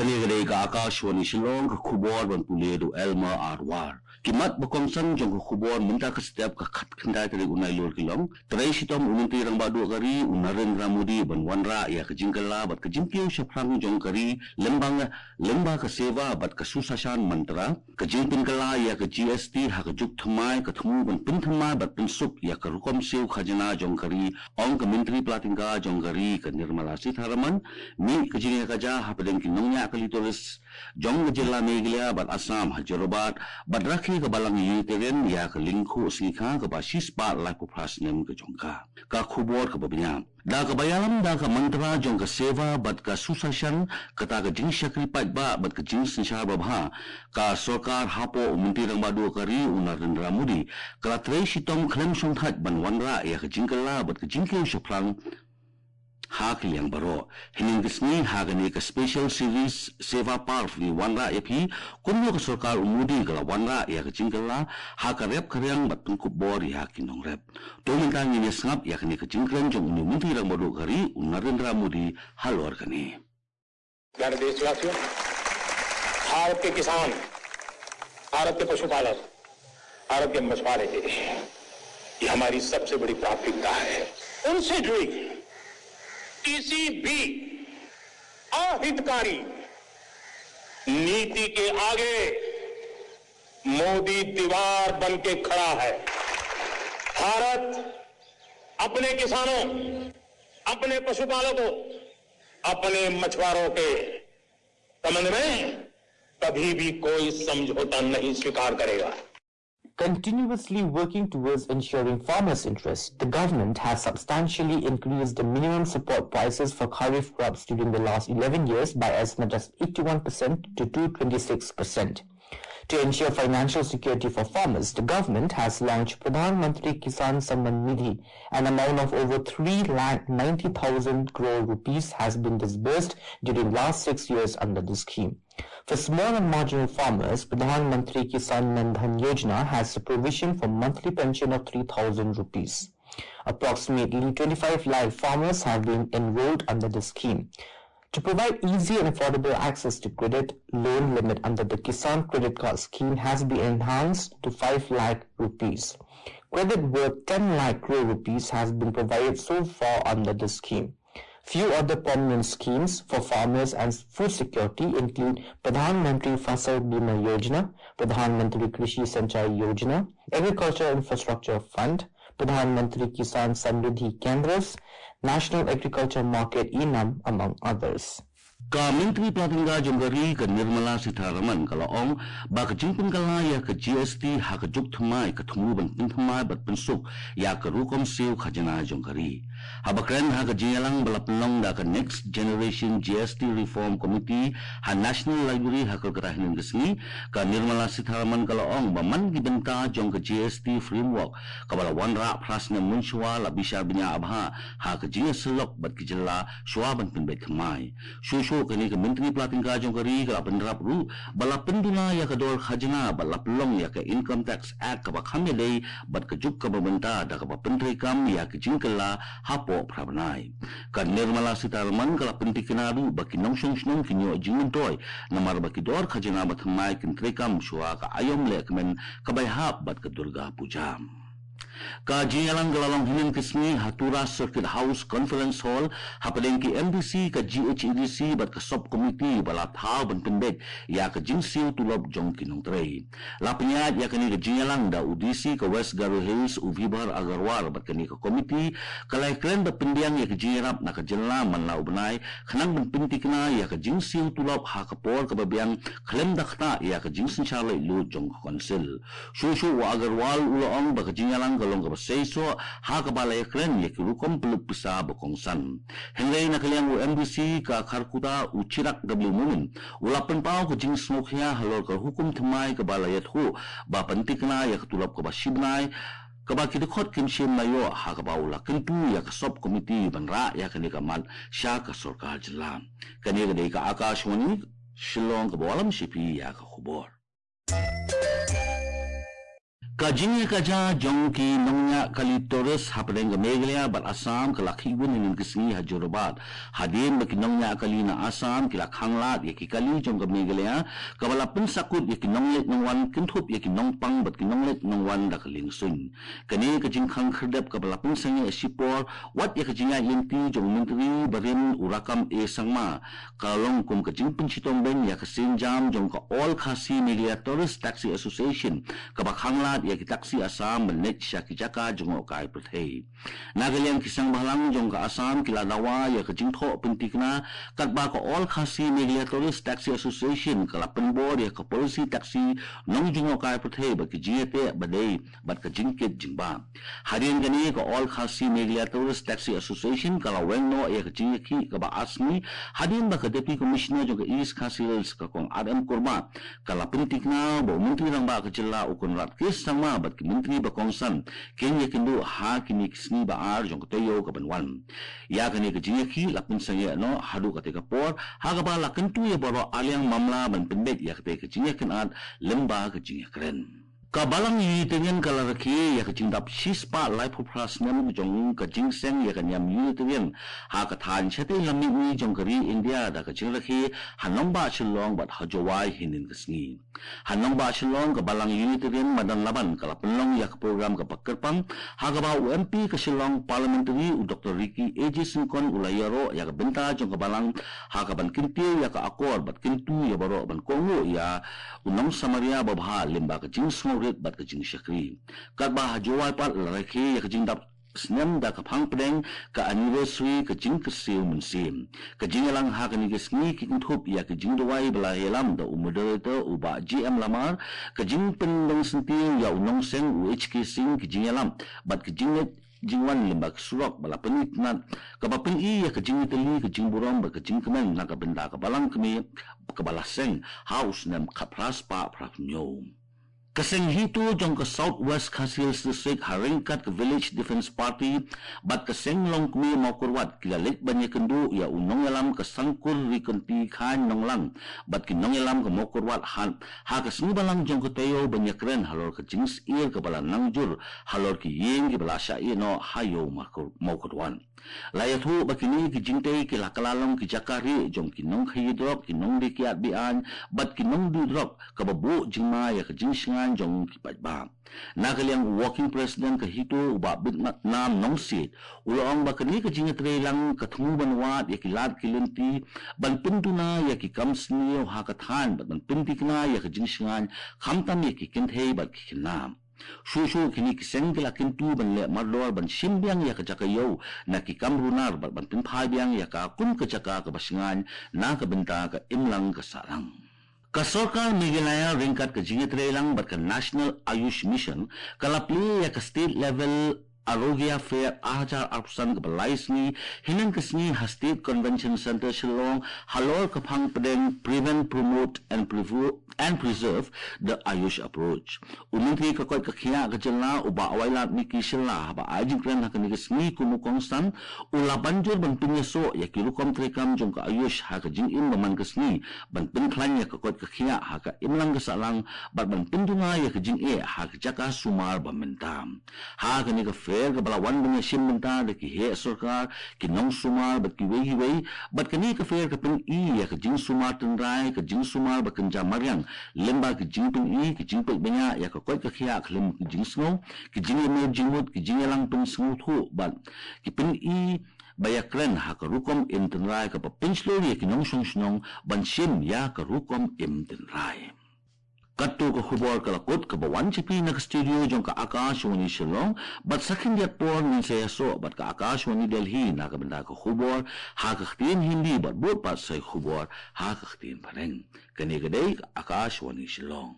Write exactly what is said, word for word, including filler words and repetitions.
Kane ka dei ka Akashvani Shillong, ka khubor ban pule da u Elmer Arwar. Ki mat ba kongsan jong ka khubor mynta ka step ka khatkhyndai tarik u Nailur ki long: Trei shitom u Myntri Rangbah Duh ka ri u Narendra Modi ban wanrah ïa ka jingkylla bad ka jingkiew shaphrang jong ka ri lyngba, lyngba ka Seva bad ka Susashan Mantra. Ka jingpynkylla ïa ka G S T ha ka juk thymmai ka thmu ban pynthymmai bad pynsuk ïa ka rukom siew khajna jong ka ri, ong ka Myntri Pla Tyngka jong ka ri ka Nirmala Sitharaman. Mih ka jingïakajia hapdeng ki nongñiah kali tourist jong ka jylla Meghalaya bad Assam ha Jorabat, bad rakhe ka Balang Unitarian ïa ka lyngkhuh sngikha kaba shispah laiphew phra snem ka jong ka. Ka khubor kaba bniah. Da kaba ïalam da ka mantra jong ka Seva bad ka Susashan, kata ka jingshakri paidbah bad ka jingsynshar babha, ka sorkar hapoh u Myntri Rangbah Duh ka ri u Narendra Modi ka la trei shitom khlem shongthait ban wanrah ïa ka jingkylla bad ka jingkiew shaphrang ha ki liang baroh. Hynnin ka sngi ha kane ka special series Seva Parv, ngi wanrah ïa phi kumno ka sorkar u Modi ka la wanrah ïa ka jingkylla ha ka rep ka riang bad pynkup bor ïa ki nongrep. To mynta ngin ïa sngap ïa kane ka jingkren jong u Myntri Rangbah Duh ka ri u Narendra Modi halor kane. प्यारे देशवासियों, भारत के किसान, भारत के पशुपालक, भारत के मछुआरे, ये हमारी सबसे बड़ी प्राथमिकता है। उनसे जुड़ी किसी भी अहितकारी नीति के आगे मोदी दीवार बन के खड़ा है। भारत अपने किसानों, अपने पशुपालकों, अपने मछुआरों के संबंध में कभी भी कोई समझौता नहीं स्वीकार करेगा। Continuously working towards ensuring farmers' interests, the government has substantially increased the minimum support prices for kharif crops during the last eleven years by as much as eighty-one percent to two twenty-six percent. To ensure financial security for farmers, the government has launched Pradhan Mantri Kisan Samman Nidhi. An amount of over three lakh ninety thousand crore rupees has been disbursed during last six years under the scheme. For small and marginal farmers, Pradhan Mantri Kisan Mandhan Yojana has a provision for monthly pension of three thousand rupees. Approximately twenty-five lakh farmers have been enrolled under the scheme. To provide easy and affordable access to credit, loan limit under the Kisan Credit Card Scheme has been enhanced to five lakh rupees. Credit worth ten lakh crore rupees has been provided so far under the scheme. Few other prominent schemes for farmers and food security include Pradhan Mantri Fasal Bima Yojana, Pradhan Mantri Krishi Sanchai Yojana, Agriculture Infrastructure Fund, Pradhan Mantri Kisan Samriddhi Kendras, National Agriculture Market E-Nam, among others. Ka Myntri Pla Tyngka jong ka ri ka Nirmala Sitharaman ka la ong ba ka jingpynkylla ïa ka G S T ha ka juk thymmai ka thmu ban pynthymmai bad pynsuk ïa ka rukom siew khajna jong ka ri. Haba kren ha ka jingïalang ba la pynlong da ka Next Generation G S T Reform Committee ha National Library ha Kolkata hynnin ka sngi, ka Nirmala Sitharaman ka la ong ba man ki bynta jong ka G S T framework kaba la wanrah phra snem mynshuwa la bishar bniah bha ha ka jingïasyllok bad ki jylla shuwa ban pynbeit thymmai. Shuh shuh kane ka Myntri Pla Tyngka jong ka ri ka la bynrap ruh ba la pynduna ïa ka dor khajna bad la pynlong ïa ka Income Tax Act kaba kham ïadei bad ka juk kaba mynta da kaba pyntreikam ïa ka jingkylla hapoh phra bnai. Ka Nirmala Sitharaman ka la pyntikna ruh ba ki nongshong shnong kin ïoh jingmyntoi namar ba ki dor khajna ba thymmai kin treikam shuwa ka aïom lehkmen kaba ïahap bad ka Durga Puja. Ka jingïalang ka la long hynnin ka sngi ha Tura Circuit House Conference Hall hapdeng ki M D C, ka G H A D C bad ka Sub Committee ba la thaw ban pynbeit ïa ka jingsiew tulop jong ki nongtrei. La pynïaid ïa kane ka jingïalang da u D C ka West Garo Hills u Vibhor Aggarwal bad kane ka committee ka la ïakren bad pyndiang ïa ka jingïarap na ka jylla man la u bnai khnang ban pyntikna ïa ka jingsiew tulop ha ka por kaba biang khlem da ktah ïa ka jingsynshar laitluid jong ka council. Shuh shuh u Aggarwal u la ong ba ka jingïalang ka long kaba seisoh ha kaba la ïakren ïa ki rukom pynlut pisa ba kongsan. Hynrei na ka liang u M D C ka Kharkutta u Chirag W Momin u la pynpaw ka jingsngewkhia halor ka hukum thymmai kaba la ïathuh ba pyntikna ïa ka tulop kaba shi bnai kaba ki dkhot kim shym la ïoh, ha kaba u la kyntu ïa ka Sub Committee ban rah ïa kane ka mat sha ka sorkar jylla. Kane ka dei ka Akashvani Shillong kaba wallam sha phi ïa ka khubor. Ka jingïakajia jong ki nongñiah kali tourist hapdeng ka Meghalaya bad Assam ka la khih bun hynnin ka sngi ha Jorabat, hadien ba ki nongñiah kali na Assam ki la khanglad ïa ki kali jong ka Meghalaya, kaba la pynsakut ïa ki nongleit nongwan, kynthup ïa ki nongpang bad ki nongleit nongwan da ka liengsuiñ. Kane ka jingkhang khyrdep kaba la pynsangeh shipor wat ïa ka jingïaid lynti jong u Myntri barim u Rakkam A Sangma, ka long kum ka jingpynshitom beiñ ïa ka sienjam jong ka All Khasi Meghalaya Tourist Taxi Association, kaba khanglad ïa ki taxi Assam ban leit sha ki jaka jngohkai pyrthei. Na ka liang ki seng bhalang jong ka Assam ki la dawa ïa ka jingthoh pyntikna katba ka All Khasi Meghalaya Tourist Taxi Association ka la pynbor ïa ka policy taxi nongjngohkai pyrthei bad ki jingïateh ba dei bad ka jingkit jingbah. Hadien kane ka All Khasi Meghalaya Tourist Taxi Association ka la weng noh ïa ka jingïakhih kaba ar sngi, hadien ba ka Deputy Commissioner jong ka East Khasi Hills ka Kong R M Kurbah ka la pyntikna ba u Myntri Rangbah ka jylla u Conrad K Sangma bad ki myntri ba kongsan kin ïakynduh ha kine ki sngi ba ar jong ka taïew kaban wan. Ïa kane ka jingïakhih la pynsangeh noh haduh katei ka por, ha kaba la kyntu ïa baroh arliang mamla ban pynbeit ïa katei ka jingïakynad lyngba ka jingïakren. Ka Balang Unitarian ka la rakhe ïa ka jingdap shispah laiphew phra snem jong ka jingseng ïa ka niam Unitarian ha ka thaiñ shatei lam mihngi jong ka ri India da ka jingrakhe ha nongbah Shillong bad ha Jowai hynnin ka sngi. Ha nongbah Shillong ka Balang Unitarian madan Laban ka la pynlong ïa ka program kaba kyrpang, ha kaba u M P ka Shillong Parliamentary u Doctor Ricky A J Syngkon u la ïaroh ïa ka bynta jong ka Balang, ha kaban kyntiew ïa ka akor bad kyntu ïa baroh ban kohnguh ïa u nongsamaria babha lyngba ka jingsngewrit bad ka jingshakri. Katba ha Jowai pat la rakhe ïa ka jingdap snem da ka phang pdeng ka anniversary ka jingkyrsiew mynsiem. Ka jingïalang ha kane ka sngi ki kynthup ïa ka jingduwai ba la ïalam da u moderator u Bah J M Lamar, ka jingpynlong syntiew ïa u nongseng u H K Singh, ka jingïalam bad ka jingleit jingwan lyngba ka surok ba la pynitynnad, kaba pyni ïa ka jingïatylli, ka jingburom bad ka jingkmen na ka bynta ka Balang kmie kaba la seng ha u snem khatphra spah phra hynñiew. Ka seng HITO jong ka South West Khasi Hills District ha ryngkat ka Village Defence Party bad ka seng longkmie Mawkyrwat ki la leit ban ïakynduh ïa u nongïalam ka Sangkur Rikonti Khain Nonglang bad ki nongïalam ka Mawkyrwat ha, ha ka sngi Balang jong ka taïew ban ïakren halor ka jingsyier kaba la nang jur halor ki ïing kiba la shah ïehnoh ha Ïew Mawkyr-, Mawkyrwat. La ïathuh ba kine ki jingtei ki la kylla long ki jaka rieh jong ki nongkhaïi drok, ki nongdie kiad be-aiñ bad ki nongduh drok, kaba buh jingma ïa ka jingshngaiñ jong ki paidbah. Na ka liang u Working President ka HITO u Bah Bitnam Nongsiej u la ong ba kane ka jingïatreilang ka thmu ban wad ïa ki lad ki lynti, ban pynduna ïa ki kam sniew ha ka thaiñ bad ban pynthikna ïa ka jingshngaiñ khamtam ïa ki kynthei bad ki khynnah. Shuh shuh kine ki seng ki la kyntu ban leh mardor ban shim biang ïa ka jaka ïew na ki kam runar bad ban pynphai biang ïa ka kum ka jaka kaba shngaiñ na ka bynta ka imlang ka sahlang. Ka Sorkar Meghalaya ryngkat ka jingïatreilang bad ka National Ayush Mission ka la plie ïa ka State Level Arogya Fair ar hajar arphew san kaba lai sngi hynnin ka sngi ha State Convention Centre Shillong halor ka phang pdeng Prevent, Promote and Prevo-, and Preserve the Ayush Approach. U Myntri ka koit ka khiah ka jylla u Bah Wailadmiki Shylla haba ai jingkren ha kane ka sngi kum u kongsan, u la ban jur ban pynïasoh ïa ki rukom treikam jong ka Ayush ha ka jingim ba man ka sngi, ban pynkhlaiñ ïa ka koit ka khiah ha ka imlang ka sahlang bad ban pynduna ïa ka jingeh ha ka jaka sumar ba mynta. Ha kane ka fair kaba la wan ban ïashim bynta da ki heh sorkar, ki nongsumar bad kiwei kiwei, bad kane ka fair ka pyni ïa ka jingsumar tynrai, ka jingsumar ba kynja mariang lyngba ka jingpyni, ka jingpeit bniah ïa ka koit ka khiah khlem ka jingsngew, ka jingïamir jingmut, ka jingïalang pynsngewthuh bad ka pyni ba ïakren ha ka rukom im tynrai kaba pynshlur ïa ki nongshong shnong ban shim ïa ka rukom im tynrai. Katto ka khubor ka la kut kaba wan sha phi na ka studio jong ka Akashvani Shillong, bad sa khyndiat por ngin sa ïasoh bad ka Akashvani Delhi na ka bynta ka khubor ha ka ktien Hindi bad bud pat sa ïa ka khubor ha ka ktien Phareng. Kane ka dei ka Akashvani Shillong.